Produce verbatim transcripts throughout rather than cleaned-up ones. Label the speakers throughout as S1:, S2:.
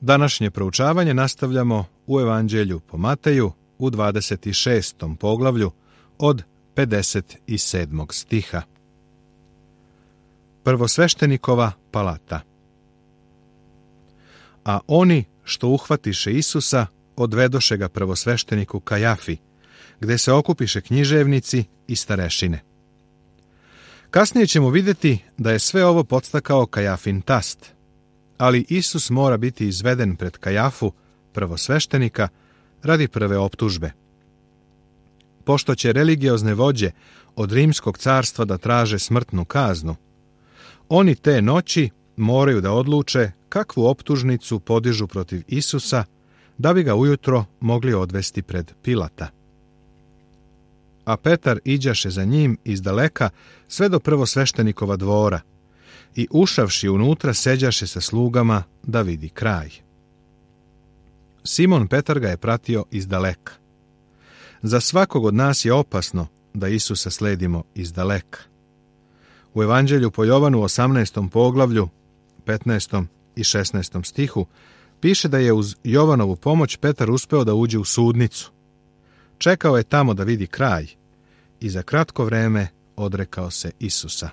S1: Današnje proučavanje nastavljamo u Evanđelju po Mateju u dvadeset šestom poglavlju od pedeset sedmog stiha. Prvosveštenikova palata. A oni što uhvatiše Isusa, odvedoše ga prvosvešteniku Kajafi, gde se okupiše književnici i starešine. Kasnije ćemo vidjeti da je sve ovo podstakao Kajafin tast, ali Isus mora biti izveden pred Kajafu, prvosveštenika, radi prve optužbe. Pošto će religiozne vođe od rimskog carstva da traže smrtnu kaznu, oni te noći moraju da odluče kakvu optužnicu podižu protiv Isusa, da bi ga ujutro mogli odvesti pred Pilata. A Petar iđaše za njim izdaleka sve do prvosveštenikova dvora i ušavši unutra seđaše sa slugama da vidi kraj. Simon Petar ga je pratio izdaleka. Za svakog od nas je opasno da Isusa sledimo izdaleka. U Evanđelju po Jovanu osamnaestom poglavlju, petnaestom i šesnaestom stihu, piše da je uz Jovanovu pomoć Petar uspeo da uđe u sudnicu. Čekao je tamo da vidi kraj i za kratko vreme odrekao se Isusa.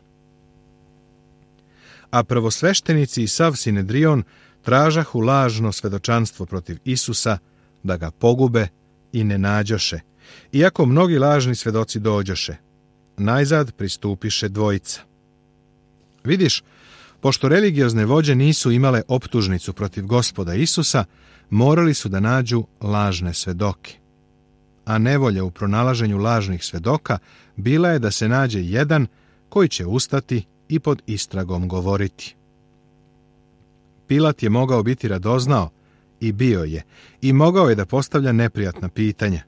S1: A prvosveštenici i sav Sinedrion tražahu lažno svedočanstvo protiv Isusa da ga pogube i ne nađoše, iako mnogi lažni svedoci dođoše. Najzad pristupiše dvojica. Vidiš, pošto religiozne vođe nisu imale optužnicu protiv Gospoda Isusa, morali su da nađu lažne svedoke. A nevolja u pronalaženju lažnih svedoka bila je da se nađe jedan koji će ustati i pod istragom govoriti. Pilat je mogao biti radoznao, i bio je, i mogao je da postavlja neprijatna pitanja.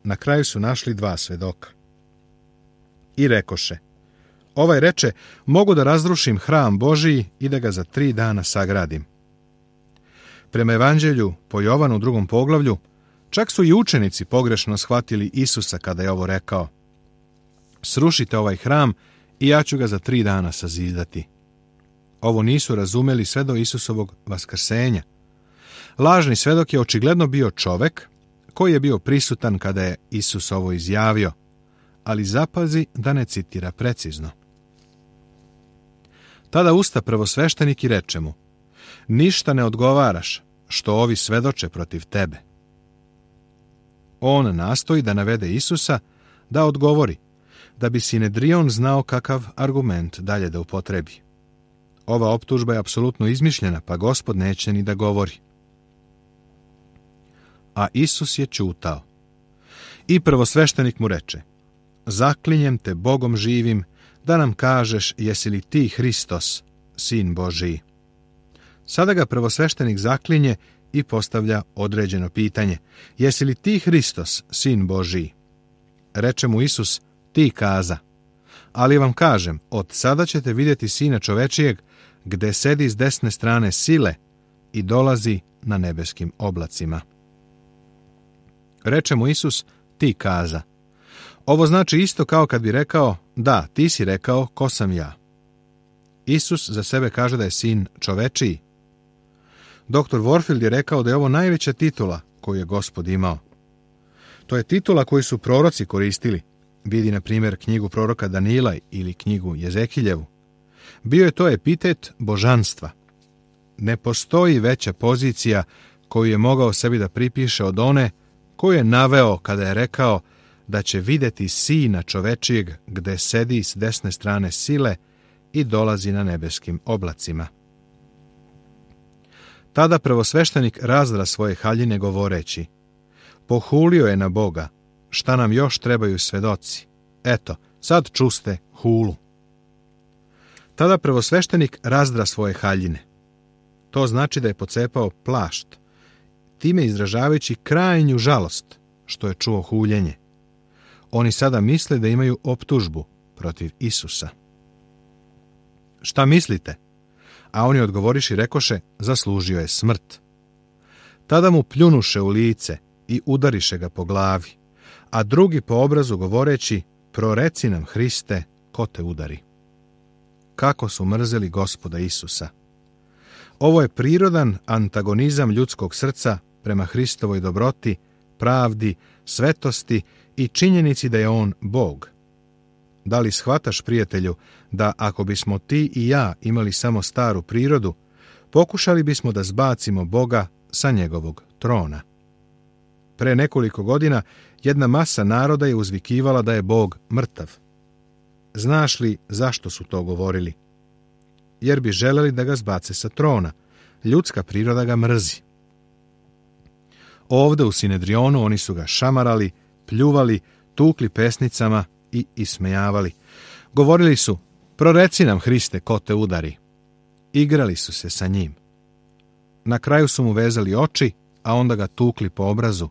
S1: Na kraju su našli dva svedoka. I rekoše, ovaj reče, mogu da razrušim hram Božiji i da ga za tri dana sagradim. Prema Evanđelju po Jovanu drugom poglavlju, čak su i učenici pogrešno shvatili Isusa kada je ovo rekao. Srušite ovaj hram i ja ću ga za tri dana sazidati. Ovo nisu razumeli sve do Isusovog vaskrsenja. Lažni svedok je očigledno bio čovek koji je bio prisutan kada je Isus ovo izjavio, ali zapazi da ne citira precizno. Tada usta prvosveštenik i reče mu, ništa ne odgovaraš, što ovi svedoče protiv tebe. On nastoji da navede Isusa da odgovori, da bi Sinedrion znao kakav argument dalje da upotrebi. Ova optužba je apsolutno izmišljena, pa Gospod neće ni da govori. A Isus je ćutao. I prvosveštenik mu reče, zaklinjem te Bogom živim, da nam kažeš jesi li ti Hristos, Sin Božiji. Sada ga prvosveštenik zaklinje i postavlja određeno pitanje, jesi li ti Hristos, Sin Božiji? Reče mu Isus, ti kaza. Ali vam kažem, od sada ćete vidjeti Sina čovečijeg, gde sedi s desne strane sile i dolazi na nebeskim oblacima. Reče mu Isus, ti kaza. Ovo znači isto kao kad bi rekao, da, ti si rekao, ko sam ja. Isus za sebe kaže da je sin čovečiji. Doktor Warfield je rekao da je ovo najveća titula koju je Gospod imao. To je titula koju su proroci koristili. Vidi, na primjer, knjigu proroka Danila ili knjigu Jezekiljevu. Bio je to epitet božanstva. Ne postoji veća pozicija koju je mogao sebi da pripiše od one koju je naveo kada je rekao da će vidjeti Sina čovečijeg gde sedi s desne strane sile i dolazi na nebeskim oblacima. Tada prvosveštenik razdra svoje haljine govoreći, pohulio je na Boga, šta nam još trebaju svedoci? Eto, sad čuste hulu. Tada prvosveštenik razdra svoje haljine. To znači da je pocepao plašt, time izražavajući krajnju žalost što je čuo huljenje. Oni sada misle da imaju optužbu protiv Isusa. Šta mislite? A oni odgovoriši rekoše, zaslužio je smrt. Tada mu pljunuše u lice i udariše ga po glavi, a drugi po obrazu govoreći, proreci nam, Hriste, ko te udari. Kako su mrzeli Gospoda Isusa. Ovo je prirodan antagonizam ljudskog srca prema Hristovoj dobroti, pravdi, svetosti i činjenici da je on Bog. Da li shvataš, prijatelju, da ako bismo ti i ja imali samo staru prirodu, pokušali bismo da zbacimo Boga sa njegovog trona? Pre nekoliko godina jedna masa naroda je uzvikivala da je Bog mrtav. Znaš li zašto su to govorili? Jer bi želeli da ga zbace sa trona. Ljudska priroda ga mrzi. Ovde u Sinedrionu oni su ga šamarali, pljuvali, tukli pesnicama i ismejavali. Govorili su: proreci nam, Hriste, ko te udari. Igrali su se sa njim. Na kraju su mu vezali oči, a onda ga tukli po obrazu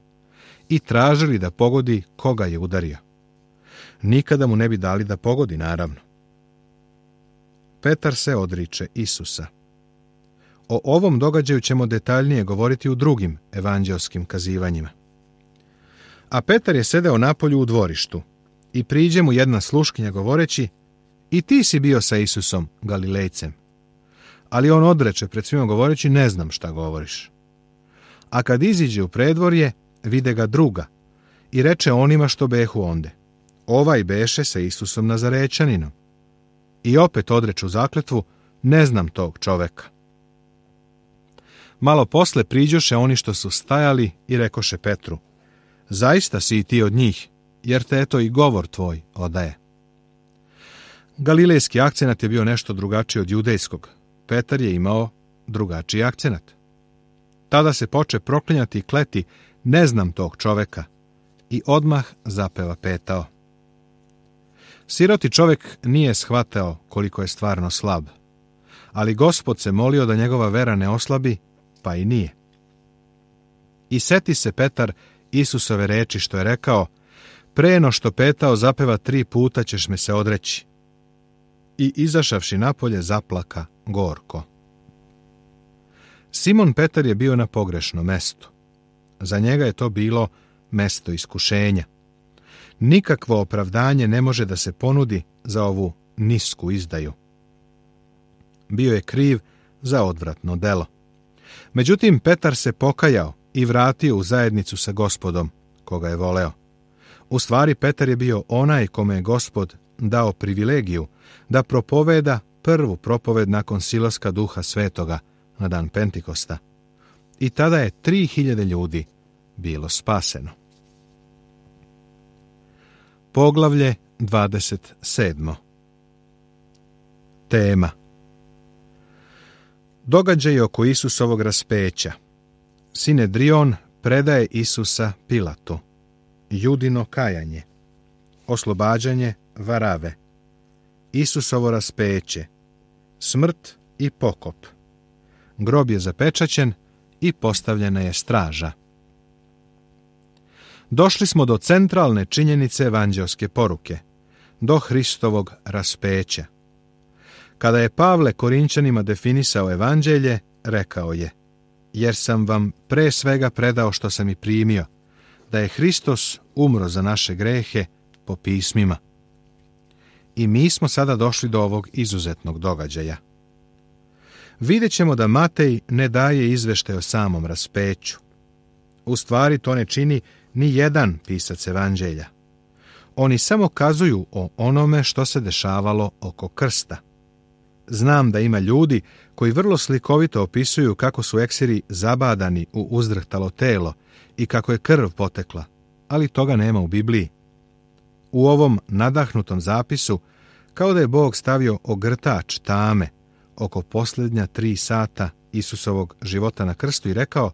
S1: i tražili da pogodi koga je udario. Nikada mu ne bi dali da pogodi, naravno. Petar se odriče Isusa. O ovom događaju ćemo detaljnije govoriti u drugim evanđelskim kazivanjima. A Petar je sedeo napolju u dvorištu i priđe mu jedna sluškinja govoreći: i ti si bio sa Isusom, Galilejcem. Ali on odreče pred svima govoreći: ne znam šta govoriš. A kad iziđe u predvorje, vide ga druga i reče onima što behu onde: ovaj beše sa Isusom Nazarećaninom. I opet odreču zakletvu: ne znam tog čoveka. Malo posle priđoše oni što su stajali i rekoše Petru: zaista si i ti od njih, jer te eto i govor tvoj odaje. Galilejski akcenat je bio nešto drugačiji od judejskog. Petar je imao drugačiji akcenat. Tada se poče proklinjati i kleti: ne znam tog čoveka, i odmah zapeva petao. Siroti čovek nije shvatao koliko je stvarno slab, ali Gospod se molio da njegova vera ne oslabi, pa i nije. I seti se Petar Isusove reči što je rekao: pre no što petao zapeva tri puta ćeš me se odreći. I izašavši napolje zaplaka gorko. Simon Petar je bio na pogrešnom mestu. Za njega je to bilo mesto iskušenja. Nikakvo opravdanje ne može da se ponudi za ovu nisku izdaju. Bio je kriv za odvratno delo. Međutim, Petar se pokajao i vratio u zajednicu sa Gospodom, koga je voleo. U stvari, Petar je bio onaj kome je Gospod dao privilegiju da propoveda prvu propoved nakon silaska Duha Svetoga na dan Pentikosta. I tada je tri hiljade ljudi bilo spaseno. Poglavlje dvadeset sedmo. Tema: događaj oko Isusovog raspeća. Sinedrion predaje Isusa Pilatu. Judino kajanje. Oslobađanje Varave. Isusovo raspeće. Smrt i pokop. Grob je zapečaćen i postavljena je straža. Došli smo do centralne činjenice evanđelske poruke, do Hristovog raspeća. Kada je Pavle Korinćanima definisao evanđelje, rekao je: jer sam vam pre svega predao što sam i primio, da je Hristos umro za naše grehe po pismima. I mi smo sada došli do ovog izuzetnog događaja. Vidjet ćemo da Matej ne daje izveštaj o samom raspeću. U stvari to ne čini ni jedan pisac evanđelja. Oni samo kazuju o onome što se dešavalo oko krsta. Znam da ima ljudi koji vrlo slikovito opisuju kako su eksiri zabadani u uzdrhtalo telo i kako je krv potekla, ali toga nema u Bibliji. U ovom nadahnutom zapisu, kao da je Bog stavio ogrtač tame oko posljednja tri sata Isusovog života na krstu i rekao: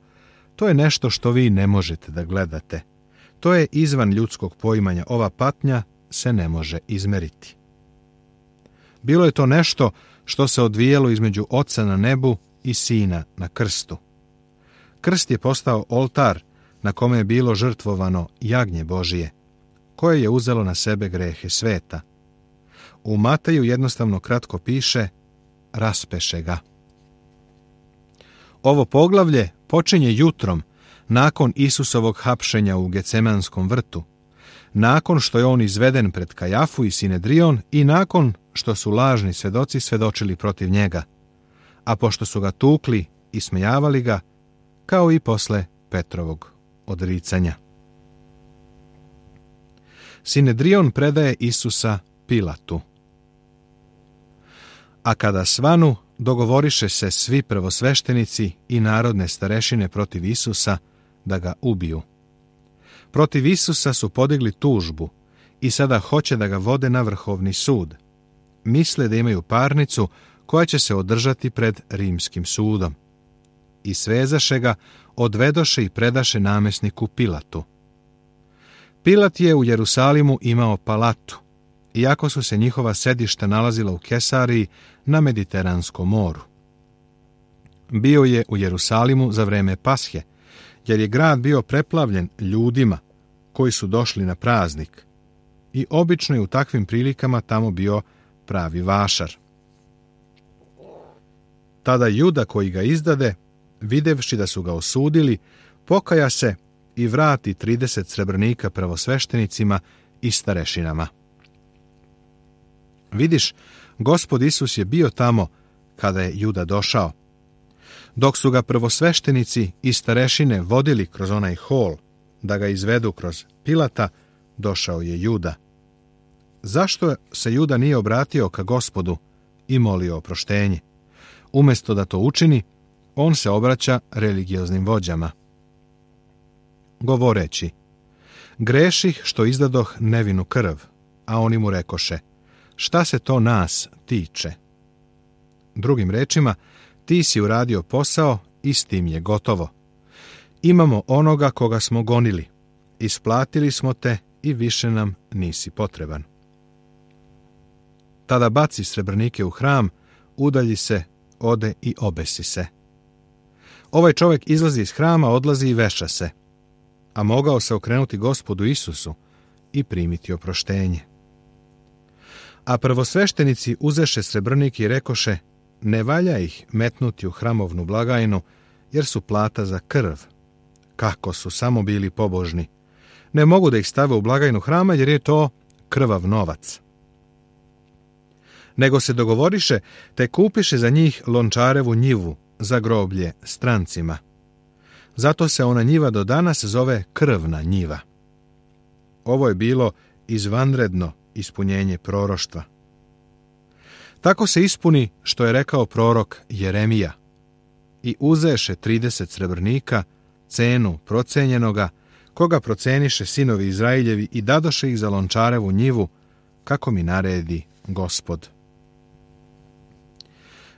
S1: to je nešto što vi ne možete da gledate. To je izvan ljudskog poimanja. Ova patnja se ne može izmeriti. Bilo je to nešto što se odvijelo između Oca na nebu i Sina na krstu. Krst je postao oltar na kome je bilo žrtvovano jagnje Božije, koje je uzelo na sebe grehe sveta. U Mateju jednostavno kratko piše: raspeše ga. Ovo poglavlje počinje jutrom, nakon Isusovog hapšenja u Gecemanskom vrtu, nakon što je on izveden pred Kajafu i Sinedrion i nakon što su lažni svedoci svedočili protiv njega. a pošto su ga tukli i smejavali ga, kao i posle Petrovog odricanja. Sinedrion predaje Isusa Pilatu. A kada svanu, dogovoriše se svi prvosveštenici i narodne starešine protiv Isusa da ga ubiju. Protiv Isusa su podigli tužbu i sada hoće da ga vode na vrhovni sud. Misle da imaju parnicu koja će se održati pred rimskim sudom. I svezaše ga, odvedoše i predaše namesniku Pilatu. Pilat je u Jerusalimu imao palatu, iako su se njihova sedišta nalazila u Kesariji na Mediteranskom moru. Bio je u Jerusalimu za vreme Pashe, jer je grad bio preplavljen ljudima koji su došli na praznik i obično je u takvim prilikama tamo bio pravi vašar. Tada Juda koji ga izdade, videvši da su ga osudili, pokaja se i vrati trideset srebrnika prvosveštenicima i starešinama. Vidiš, Gospod Isus je bio tamo kada je Juda došao. Dok su ga prvosveštenici i starešine vodili kroz onaj hol da ga izvedu kroz Pilata, došao je Juda. Zašto se Juda nije obratio ka Gospodu i molio oproštenje? Umjesto da to učini, on se obraća religioznim vođama, govoreći: greših što izdadoh nevinu krv, a oni mu rekoše: šta se to nas tiče? Drugim rečima, ti si uradio posao i s tim je gotovo. Imamo onoga koga smo gonili, isplatili smo te i više nam nisi potreban. Tada baci srebrnike u hram, udalji se, ode i obesi se. Ovaj čovjek izlazi iz hrama, odlazi i veša se, a mogao se okrenuti Gospodu Isusu i primiti oproštenje. A prvosveštenici uzeše srebrnike i rekoše: ne valja ih metnuti u hramovnu blagajnu, jer su plata za krv. Kako su samo bili pobožni! Ne mogu da ih stave u blagajnu hrama, jer je to krvav novac. Nego se dogovoriše, te kupiše za njih lončarevu njivu za groblje strancima. Zato se ona njiva do danas zove krvna njiva. Ovo je bilo izvanredno ispunjenje proroštva. Tako se ispuni što je rekao prorok Jeremija: i uzeše trideset srebrnika, cenu procenjenoga, koga proceniše sinovi Izrailjevi, i dadoše ih za lončarevu njivu, kako mi naredi Gospod.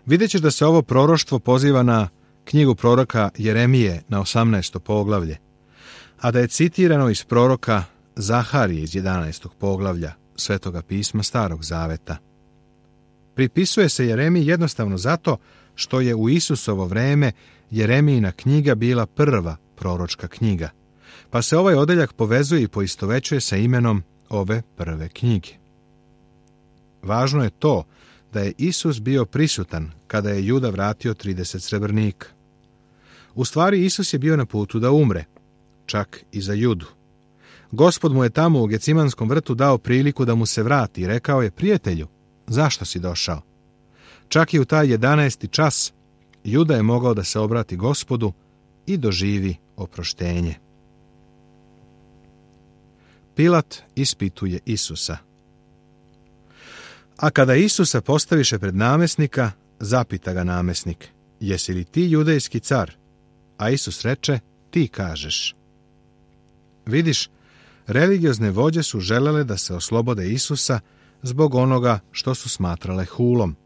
S1: Vidjet ćeš da se ovo proroštvo poziva na knjigu proroka Jeremije na osamnaesto poglavlje, a da je citirano iz proroka Zaharije iz jedanaestog poglavlja Svetoga pisma Starog Zaveta. Pripisuje se Jeremiji jednostavno zato što je u Isusovo vreme Jeremijina knjiga bila prva proročka knjiga, pa se ovaj odeljak povezuje i poistovećuje sa imenom ove prve knjige. Važno je to da je Isus bio prisutan kada je Juda vratio trideset srebrnika. U stvari, Isus je bio na putu da umre, čak i za Judu. Gospod mu je tamo u Gecimanskom vrtu dao priliku da mu se vrati i rekao je: prijatelju, zašto si došao? Čak i u taj jedanaesti čas Juda je mogao da se obrati Gospodu i doživi oproštenje. Pilat ispituje Isusa. A kada Isusa postaviše pred namesnika, zapita ga namesnik: jesi li ti judejski car? A Isus reče: ti kažeš. Vidiš, religiozne vođe su želele da se oslobode Isusa zbog onoga što su smatrale hulom.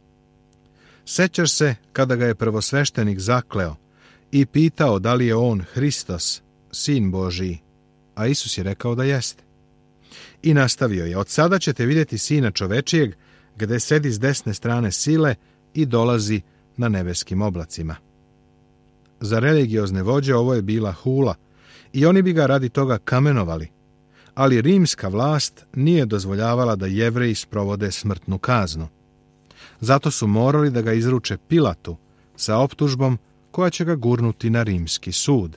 S1: Sećaš se kada ga je prvosveštenik zakleo i pitao da li je on Hristos, sin Božiji, a Isus je rekao da jeste. I nastavio je: od sada ćete vidjeti Sina čovečijeg, gde sedi s desne strane sile i dolazi na nebeskim oblacima. Za religiozne vođe ovo je bila hula i oni bi ga radi toga kamenovali, ali rimska vlast nije dozvoljavala da Jevreji sprovode smrtnu kaznu. Zato su morali da ga izruče Pilatu sa optužbom koja će ga gurnuti na rimski sud.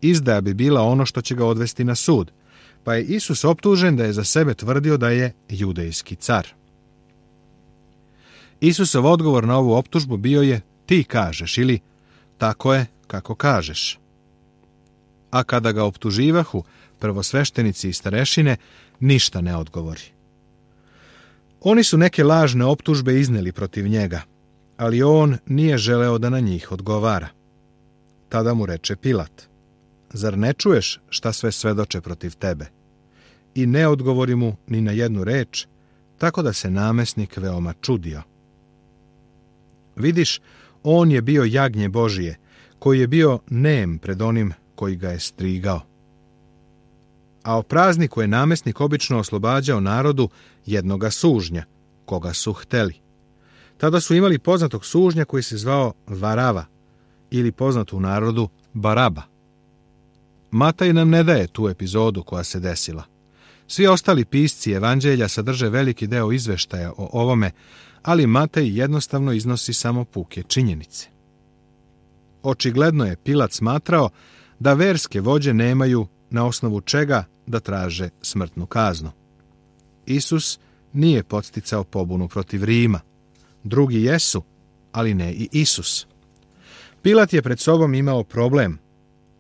S1: Izdaja bi bila ono što će ga odvesti na sud, pa je Isus optužen da je za sebe tvrdio da je judejski car. Isusov odgovor na ovu optužbu bio je: ti kažeš ili tako je kako kažeš. A kada ga optuživahu prvosveštenici i starešine, ništa ne odgovori. Oni su neke lažne optužbe izneli protiv njega, ali on nije želeo da na njih odgovara. Tada mu reče Pilat: zar ne čuješ šta sve svedoče protiv tebe? I ne odgovori mu ni na jednu reč, tako da se namesnik veoma čudio. Vidiš, on je bio jagnje Božije, koji je bio nem pred onim koji ga je strigao. A o prazniku je namesnik obično oslobađao narodu jednoga sužnja, koga su hteli. Tada su imali poznatog sužnja koji se zvao Varava, ili poznat u narodu Baraba. Mataj nam ne daje tu epizodu koja se desila. Svi ostali pisci evanđelja sadrže veliki deo izveštaja o ovome, ali Matej jednostavno iznosi samo puke činjenice. Očigledno je Pilat smatrao da verske vođe nemaju na osnovu čega da traže smrtnu kaznu. Isus nije podsticao pobunu protiv Rima. Drugi jesu, ali ne i Isus. Pilat je pred sobom imao problem.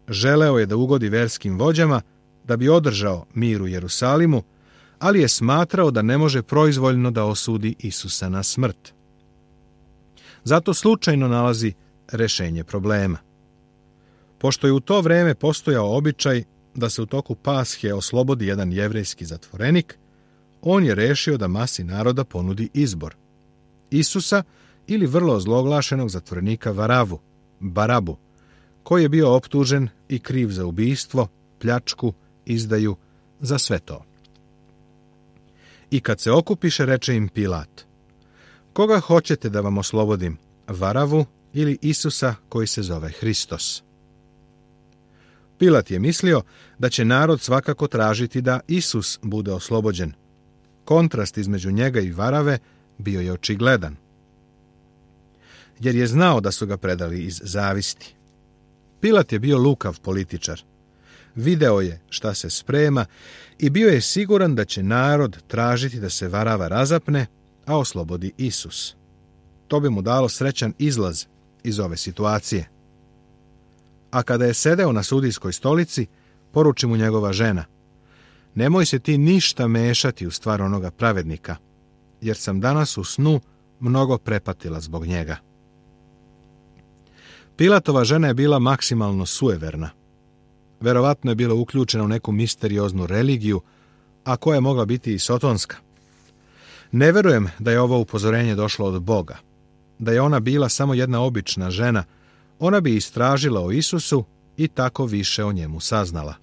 S1: Želeo je da ugodi verskim vođama da bi održao mir u Jerusalimu, ali je smatrao da ne može proizvoljno da osudi Isusa na smrt. Zato slučajno nalazi rešenje problema. Pošto je u to vreme postojao običaj da se u toku Pashe oslobodi jedan jevrejski zatvorenik, on je rešio da masi naroda ponudi izbor: Isusa ili vrlo ozloglašenog zatvorenika Varavu, Barabu, koji je bio optužen i kriv za ubistvo, pljačku, izdaju, za sve to. I kad se okupiše, reče im Pilat: koga hoćete da vam oslobodim, Varavu ili Isusa koji se zove Hristos? Pilat je mislio da će narod svakako tražiti da Isus bude oslobođen. Kontrast između njega i Varave bio je očigledan, jer je znao da su ga predali iz zavisti. Pilat je bio lukav političar. Video je šta se sprema i bio je siguran da će narod tražiti da se Varava razapne, a oslobodi Isus. To bi mu dalo srećan izlaz iz ove situacije. A kada je sedeo na sudijskoj stolici, poruči mu njegova žena: nemoj se ti ništa mešati u stvar onoga pravednika, jer sam danas u snu mnogo prepatila zbog njega. Pilatova žena je bila maksimalno sueverna. Verovatno je bila uključena u neku misterioznu religiju, a koja je mogla biti i sotonska. Ne verujem da je ovo upozorenje došlo od Boga. Da je ona bila samo jedna obična žena, ona bi istražila o Isusu i tako više o njemu saznala.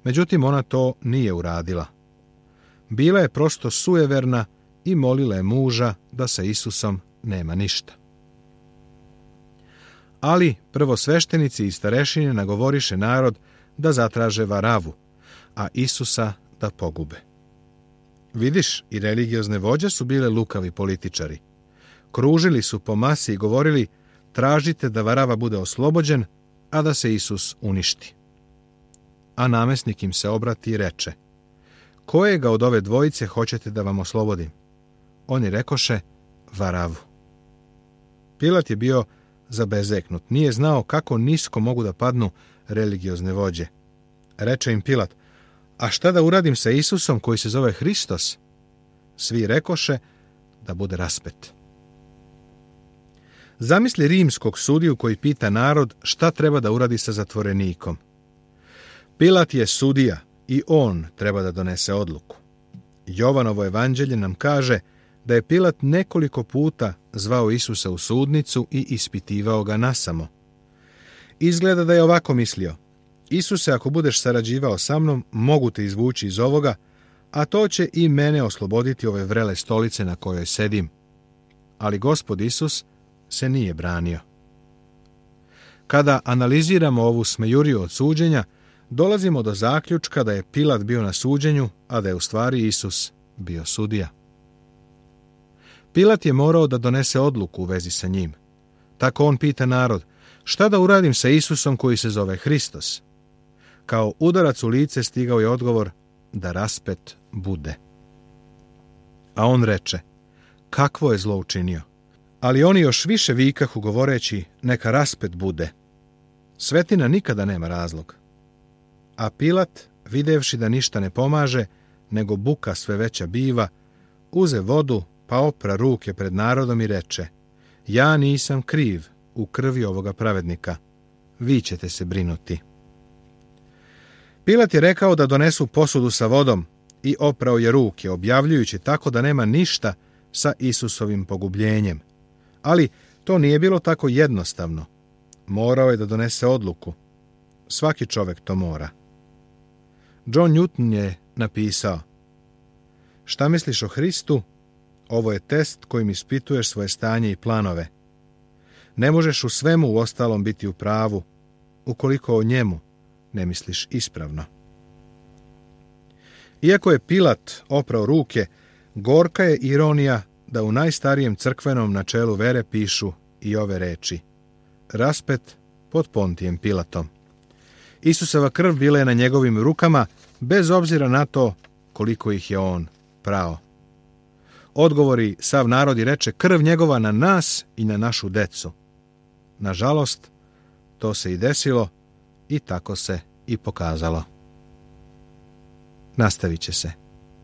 S1: Međutim, ona to nije uradila. Bila je prosto sueverna i molila je muža da sa Isusom nema ništa. Ali prvosveštenici i starešine nagovoriše narod da zatraže Varavu, a Isusa da pogube. Vidiš, i religiozne vođe su bile lukavi političari. Kružili su po masi i govorili: tražite da Varava bude oslobođen, a da se Isus uništi. A namesnik im se obrati i reče: kojega od ove dvojice hoćete da vam oslobodim? Oni rekoše: Varavu. Pilat je bio zabezeknut, nije znao kako nisko mogu da padnu religiozne vođe. Reče im Pilat: a šta da uradim sa Isusom koji se zove Hristos? Svi rekoše da bude raspet. Zamisli rimskog sudiju koji pita narod šta treba da uradi sa zatvorenikom. Pilat je sudija i on treba da donese odluku. Jovanovo evanđelje nam kaže da je Pilat nekoliko puta zvao Isusa u sudnicu i ispitivao ga nasamo. Izgleda da je ovako mislio: Isuse, ako budeš sarađivao sa mnom, mogu te izvući iz ovoga, a to će i mene osloboditi ove vrele stolice na kojoj sedim. Ali Gospod Isus se nije branio. Kada analiziramo ovu smejuriju od suđenja, dolazimo do zaključka da je Pilat bio na suđenju, a da je u stvari Isus bio sudija. Pilat je morao da donese odluku u vezi sa njim. Tako on pita narod: šta da uradim sa Isusom koji se zove Hristos? Kao udarac u lice stigao je odgovor da raspet bude. A on reče: kakvo je zlo učinio? Ali oni još više vikahu govoreći, neka raspet bude. Svetina nikada nema razlog. A Pilat, videvši da ništa ne pomaže, nego buka sve veća biva, uze vodu, pa opra ruke pred narodom i reče, ja nisam kriv u krvi ovoga pravednika, vi ćete se brinuti. Pilat je rekao da donesu posudu sa vodom i oprao je ruke, objavljujući tako da nema ništa sa Isusovim pogubljenjem. Ali to nije bilo tako jednostavno. Morao je da donese odluku. Svaki čovjek to mora. John Newton je napisao, šta misliš o Hristu? Ovo je test kojim ispituješ svoje stanje i planove. Ne možeš u svemu u ostalom biti u pravu, ukoliko o njemu ne misliš ispravno. Iako je Pilat oprao ruke, gorka je ironija da u najstarijem crkvenom načelu vere pišu i ove reči. Raspet pod Pontijem Pilatom. Isusova krv bila je na njegovim rukama, bez obzira na to koliko ih je on prao. Odgovori sav narod i reče, krv njegova na nas i na našu decu. Nažalost, to se i desilo i tako se i pokazalo. Nastavit će se.